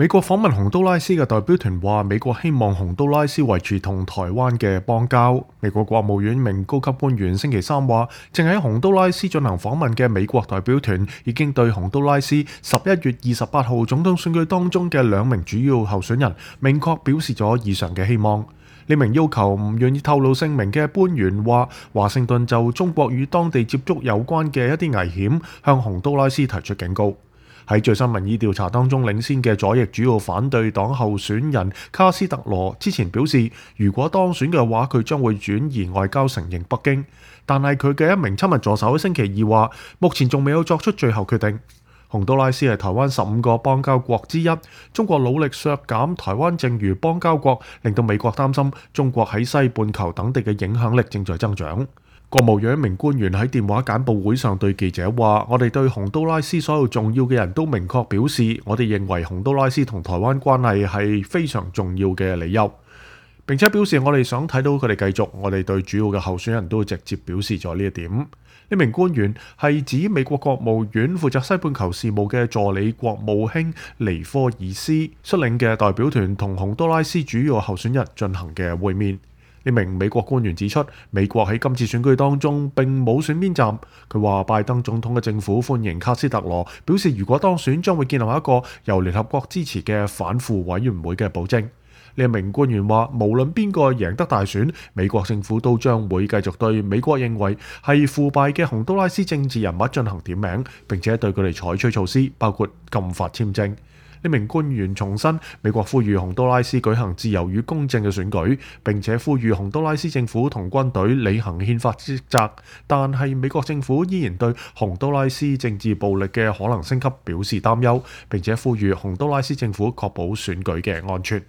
美國訪問洪都拉斯嘅代表團話，美國希望洪都拉斯維持同台灣嘅邦交。美國國務院一名高級官員星期三話，正喺洪都拉斯進行訪問嘅美國代表團已經對洪都拉斯11月28號總統選舉當中嘅2名主要候選人明確表示咗以上嘅希望。呢名要求唔願意透露姓名嘅官員話，華盛頓就中國與當地接觸有關嘅一啲危險，向洪都拉斯提出警告。喺最新民意調查當中領先嘅左翼主要反對黨候選人卡斯特羅之前表示，如果當選嘅話，佢將會轉移外交承認北京。但係佢嘅一名親密助手喺星期二話，目前仲未有作出最後決定。洪都拉斯係台灣15個邦交國之一，中國努力削減台灣剩餘邦交國，令到美國擔心中國喺西半球等地嘅影響力正在增長。國務院一名官員喺電話簡報會上對記者話，我哋對洪都拉斯所有重要嘅人都明確表示，我哋認為洪都拉斯同台灣關係係非常重要嘅理由，並且表示我哋想睇到佢哋繼續，我哋對主要嘅候選人都直接表示咗呢一點。呢名官員係指美國國務院負責西半球事務嘅助理國務卿尼科爾斯率領嘅代表團同洪都拉斯主要候選人進行嘅會面。呢名美國官員指出，美國喺今次選舉當中並冇選邊站。佢話拜登總統嘅政府歡迎卡斯特羅，表示如果當選將會建立一個由聯合國支持嘅反腐委員會嘅保證。呢名官員話，無論邊個贏得大選，美國政府都將會繼續對美國認為係腐敗嘅洪都拉斯政治人物進行點名，並且對佢哋採取措施，包括禁發簽證。呢名官員重申，美國呼籲洪都拉斯舉行自由與公正嘅選舉，並且呼籲洪都拉斯政府同軍隊履行憲法職責。但係美國政府依然對洪都拉斯政治暴力嘅可能升級表示擔憂，並且呼籲洪都拉斯政府確保選舉嘅安全。